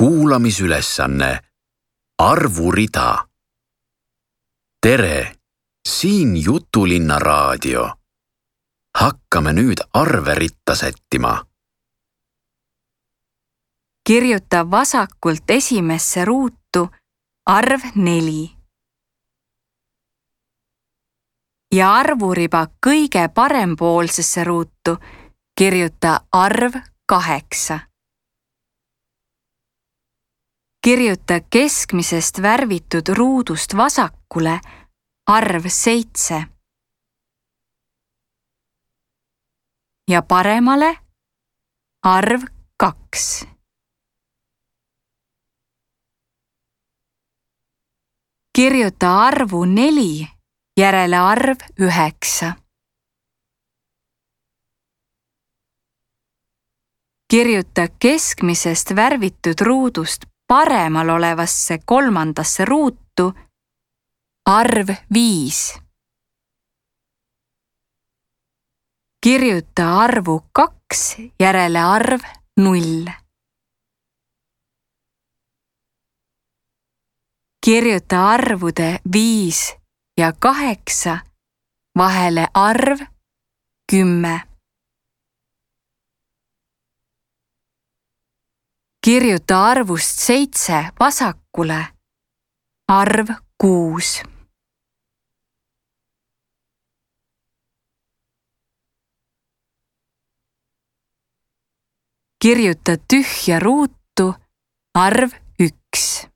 Kuulamisülesanne Arvurida. Tere, siin Jutulinna raadio. Hakkame nüüd arve ritta sättima. Kirjuta vasakult esimesse ruutu arv 4. Ja arvuriba kõige parempoolsesse ruutu kirjuta arv 8. Kirjuta keskmisest värvitud ruudust vasakule arv 7. Ja paremale arv 2. Kirjuta arvu 4 järele arv 9. Kirjuta keskmisest värvitud ruudust paremal olevasse kolmandasse ruutu arv 5. Kirjuta arvu 2 järele arv 0. Kirjuta arvude 5 ja 8 vahele arv 10. Kirjuta arvust 7 vasakule arv 6. Kirjuta tühja ruutu arv 1.